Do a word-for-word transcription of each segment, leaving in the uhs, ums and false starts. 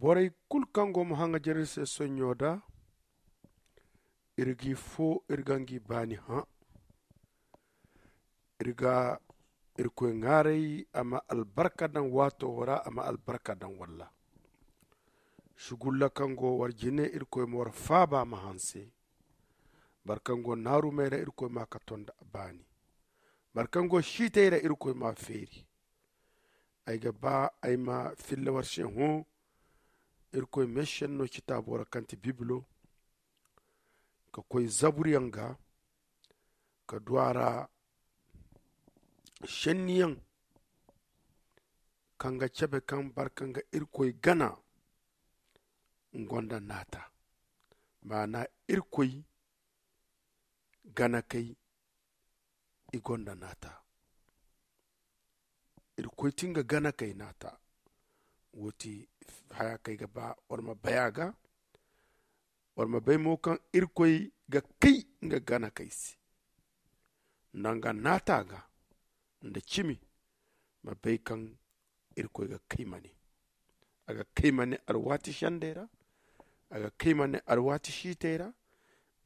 Borey kulu kaŋ go ma haŋajer iri se sonɲo da, iri g'i fo, iri ga ngi baani hã. Iri ga irkoy ŋaaray a ma albarka daŋ waato wo ra, a ma albarka daŋ walla. Sugulla kaŋ go war jine, irkoy ma war faaba ma hanse. Boro kaŋ go naarumey ra, irkoy ma ka tonda baani. Boro kaŋ go siitey ra, irkoy ma feeri. Ay ga ba ay ma filla war se hõ. Irkoy meesenno citaabo ra kaŋ ti bibilo, ka koy zaburiyaŋ ga, ka du a ra senniyaŋ kaŋ ga cabe kaŋ boro kaŋ ga irkoy gana. Nga gonda naata, maana irkoy ganakey i gonda naata. Irkoy ti nga ganakey naata. Wo ti haya kaŋ ay ga ba war ma bay a ga. War ma bay mo kaŋ irkoy ga kay nga ganakey se nda nga naata ga nda cimi. Ma bay kaŋ irkoy ga kay ma ne a ga kay ma ne alwaati sendey ra. A ga kay ma ne alwaati siitey ra.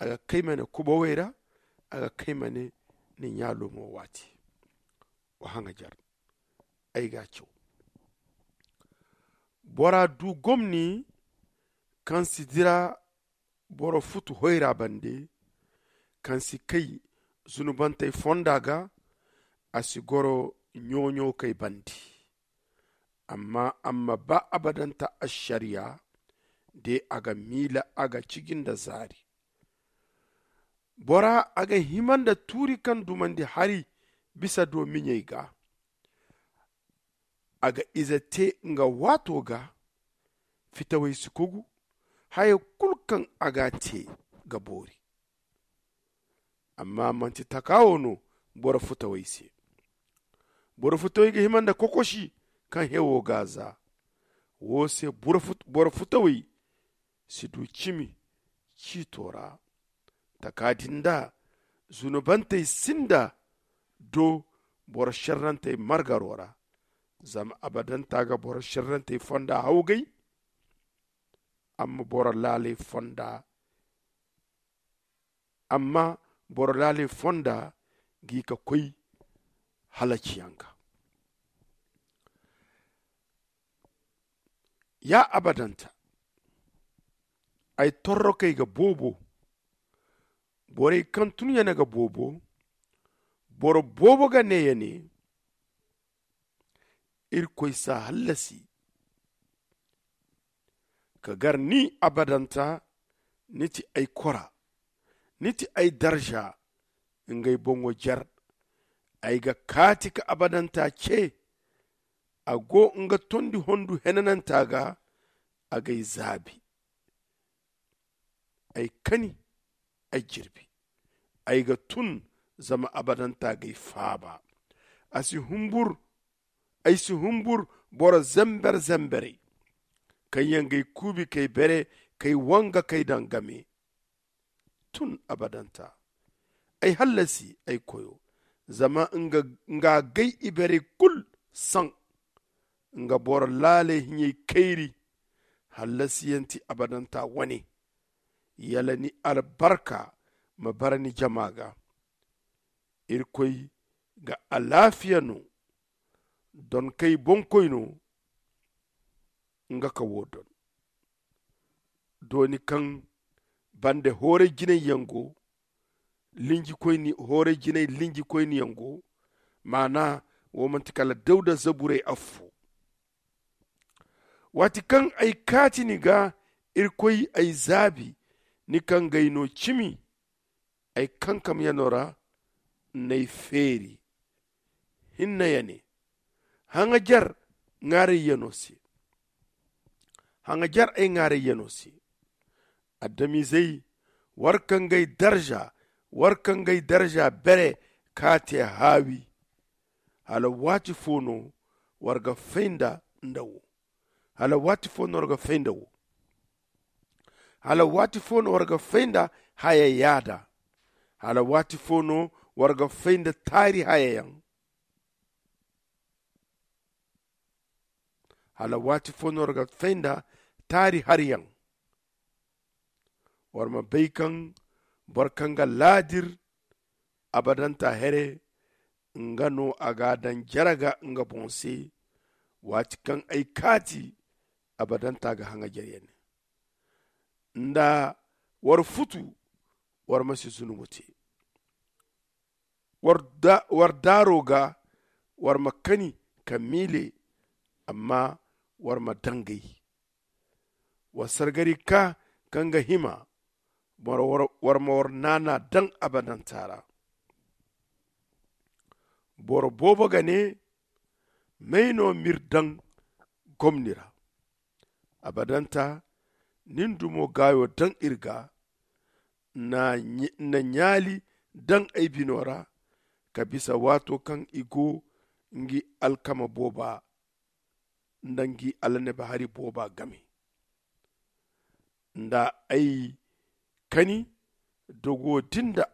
A ga kay ma ne kubawey ra. A ga kay ma ne ni ɲaalo mo waati. Wa haŋajer ay ga a caw. Bora du gomni kaŋ si dira boro futu hoyra bande, kaŋ si kay zunubantey fonda ga. A si goro ɲo-ɲo kay bande. Amma a ma ba abadanta ašariya de a ga miila a ga ciji nda zaari. Bora a ga hima nda tuuri kaŋ dumandi hari bisa do miɲey ga. A ga ize te nga waato ga. Fitawey si kogu. Haya kulu kaŋ a ga te ga boori. Amma manti taka wo no boro futawey se. Boro futawey ga hima nda kokosi kaŋ hewo ga za. Wo se boro futawey si du cimi ciito ra. Taka din da zunubantey sinda do boro šerrantey margaro ra. Zama abadanta ga boro šerrantey fonda hawgay. Amma boro laaley fonda amma boro laaley fonda gi ka koy halaciyaŋ ga. Ya abadanta, ay torrokey ga boobo. Borey kaŋ tun ya ne ga boobo. Boro boobo ga ne ya ne, irkoy si a hallasi. Ka gar ni abadanta. Ni ti ay kora. Ni ti ay darza. Ngey boŋo jer. Ay ga kaati ka abadanta ce. A go nga tondi hondu henananta ga. A g'ay zaabi. Ay kani, ay jirbi. Ay ga tun zama abadanta g'ay faaba. A si humbur ay si humbur boro zember zemberey kaŋ yaŋ g'ay kuubi k'ay bere k'ay wanga k'ay daŋ game. Tun abadanta ay hallasi ay koyo. Zama nga gay iberey kulu saŋ. Nga boro laaley hiɲey kayri. Hallasiyaŋ ti abadanta wane. Yala ni albarka ma bara ni jama ga. Irkoy ga alaafiya no. Donkey boŋkoy no. Nga ka wo don. Dooni kaŋ bande hooray jinay yaŋ go. Linjikoyni hooray jinay linjikoyni yaŋ go. Maana wo manti kala dawda zaburay affo. Waati kaŋ ay kaati ni ga, irkoy ay zaabi. Ni kaŋ g'ay no cimi. Ay kankamyano ra n'ay feeri. Hinne ya ne, haŋajer ŋaarayyano se. Haŋajer ay ŋaarayyano se. Adamizey, war ka ngey darza war ka ngey darza bere k'a te haawi. Hala waati fo no war ga fay nda nda wo? Hala waati fo no war ga fay nda wo? Hala waati fo no war ga fay nda haya yaada? Hala waati fo no war ga fay nda taari hayayaŋ? Hala waati fo no war ga fay nda Taari haryaŋ. War ma bay kaŋ boro kaŋ ga laadir abadanta here, nga no a ga a daŋ jare ga nga boŋ se. Waati kaŋ ay kaati, abadanta ga haŋajer yaŋ ne nda war futu. War ma si zunubu te. War daaro ga war ma kani ka miile, amma war ma dangay. War sargari ka kaŋ ga hima, war ma war naana daŋ abadanta ra. Boro boobo ga ne, may no m'iri daŋ gomni ra? Abadanta, ni na dumo gaayo daŋ iri ga. Na ɲaali daŋ ay bino ra, ka bisa waato kaŋ i go ngi alkama booba nda ngi alannabahari booba game. Nda ay kani dogo din da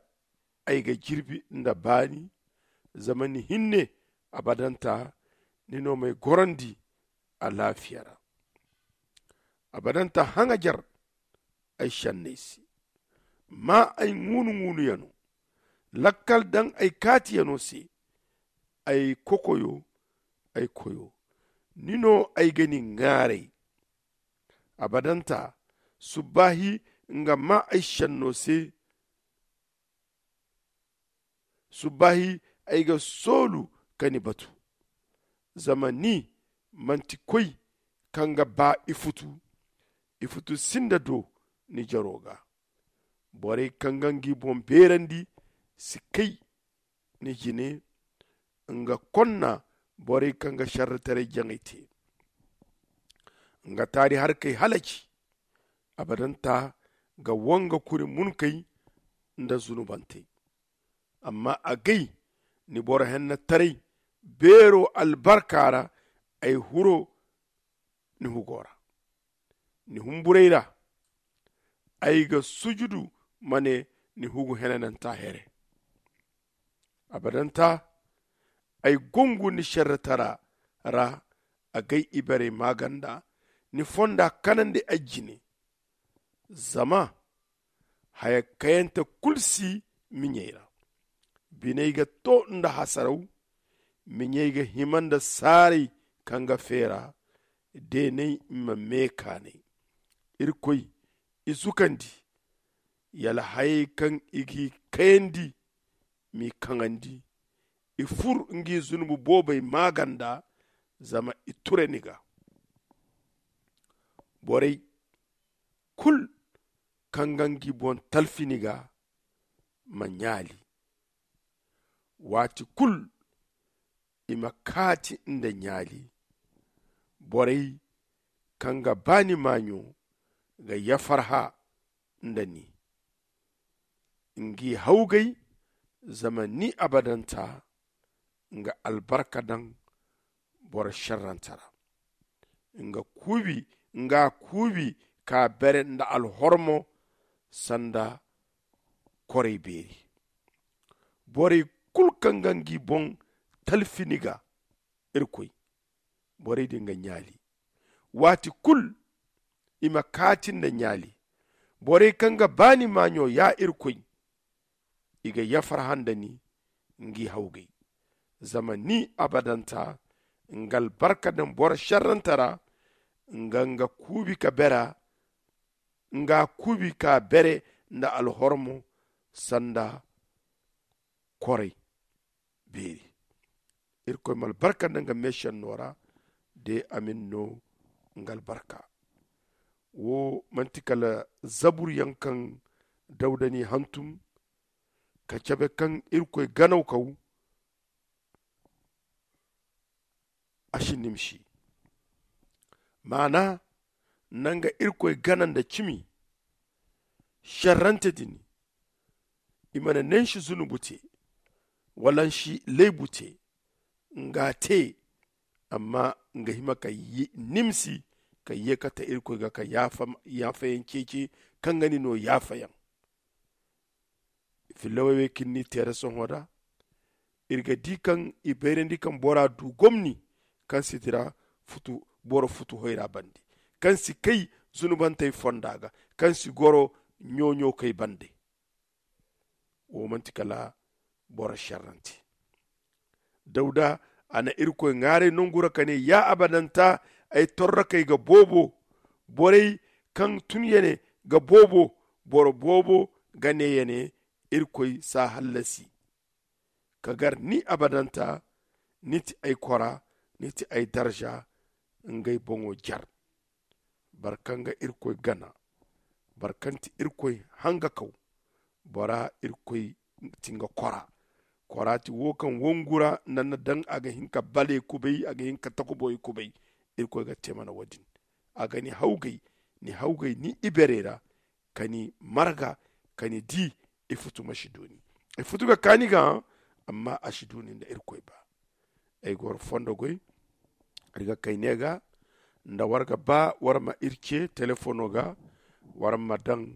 ay ga jirbi nda baani. Zama ni hinne abadanta, ni no m'ay gorandi alaafiya ra. Abadanta haŋajer ay senney se. Maa ay ŋuunu-ŋuunuyano. Lakkal daŋ ay kaatiyano se. Ay kokoyo, ay koyo, ni no ay ga ni ŋaaray. Abadanta, subbaahi nga maa ay senno se. Subbaahi ay ga soolu ka ni batu. Zama ni manti koy kaŋ ga ba ifutu. Ifutu sinda do ni jaro ga. Borey kaŋ ga ngi boŋ beerandi si kay ni jine. Nga konna borey kaŋ ga sharrataray jaŋay te. Nga taari harkey halaci. Abadanta ga wanga kuri munkey nda zunubantey. Amma agay ni boro hennataray beero albarka ra. Ay huro ni hugo ra, ni humburay ra. Ay ga sujudu ma ne ni hugu henananta here. Abadanta, ay gungu ni sharratara ra. Agay iberey maaganda ni fonda kanandi ay jine. Zama haya kayante kulu si miɲey ra. Biney ga to nda hasaraw. Miɲey ga hima nda saaray kaŋ ga feera. Deeney ma meekaanay. Irkoy i zukandi. Yala hayey kaŋ i g'i kayandi m'i kaŋandi. I fur ngi zunubu boobey maaganda. Zama i ture ni ga. Borey kulu kaŋ ga ngi boŋ talfi ni ga ma ɲaali. Waati kulu i ma kaati nda ɲaali. Borey kaŋ ga ba ni maaɲo ga yafarha nda ni. Ngi hawgay zama ni abadanta nga albarka daŋ boro sharranta ra. Nga kuubi nga kuubi ka bere nda alhormo sanda koray beeri. Borey kulu kaŋ ga ngi boŋ talfi ni ga, irkoy, borey din ga ɲaali. Waati kulu i ma kaati nda ɲaali. Borey kaŋ ga ba ni maaɲo ya irkoy, i ga yafar handa ni ngi hawgay. Zama ni abadanta nga albarka daŋ boro sharranta ra. Nga nga kuubi ka bera nga kuubi ka bere nda alhormo sanda koray beeri. Irkoy ma albarka nda nga meesenno ra de amin no nga albarka. Wo manti kala zabur yaŋ kaŋ dawda n'i hantum ka cabe kaŋ irkoy ganaw kaw. A si nimsi maana nanga irkoy gana nda cimi. Sharrante din i mana nansi zunubu te wala nsi laybu te. Nga te amma nga hima ka nimsi ka ye kate irkoy ga ka yaafayaŋ ceeci kaŋ ga ni no yaafayaŋ. Fillawey wey kaŋ ni teera sohõ da iri ga di kaŋ i bayrandi kaŋ bora du gomni kaŋ si dira boro futu hoyra bande kaŋ si kay zunubantey fonda ga, kaŋ si goro ɲo-ɲo kay bande. Wo manti kala boro šerrante. Dawda, a na irkoy ŋwaaray nongu ra ka ne, ya abadanta, ay torrakey ga boobo. Borey kaŋ tun ya ne ga boobo. Boro boobo ga ne ya ne, irkoy si a hallasi. Ka gar ni abadanta, ni ti ay kora, ni ti ay darza. Ngey boŋo jar. Boro kaŋ ga irkoy gana, boro kaŋ ti irkoy hangakaw, bora irkoy ti nga kora. Kora ti wo kaŋ wongu ra nda ni na daŋ a ga hin ka bale kubay, a ga hin ka takuboy kubay. Irkoy ga te mana wo- din. A ga ni hawgay, ni hawgay ni iberey ra, ka ni marga, ka ni di. Ifutu ma si du ni. Ifutu ga kaani ga, amma a si du ni nda irkoy ba. Ay ga war fondo goy. Iri ga kay ne ga, nda war ga ba war ma iri ce telefono ga, war ma daŋ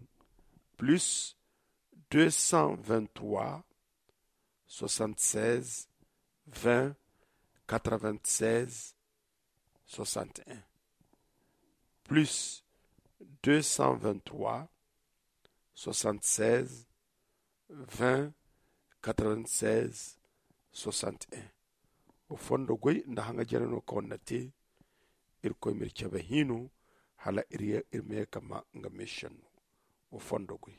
plus deux cent vingt-trois, soixante-seize, vingt, quatre-vingt-seize, soixante-un. Plus deux cent vingt-trois, soixante-seize, vingt, quatre-vingt-seize, soixante-un. Wo fondo goy nda haŋa jare no kaŋ war na te. Irkoy m'iri cabe hino hala iri ma ye ka ma nga meesenno. Wo fondo goy.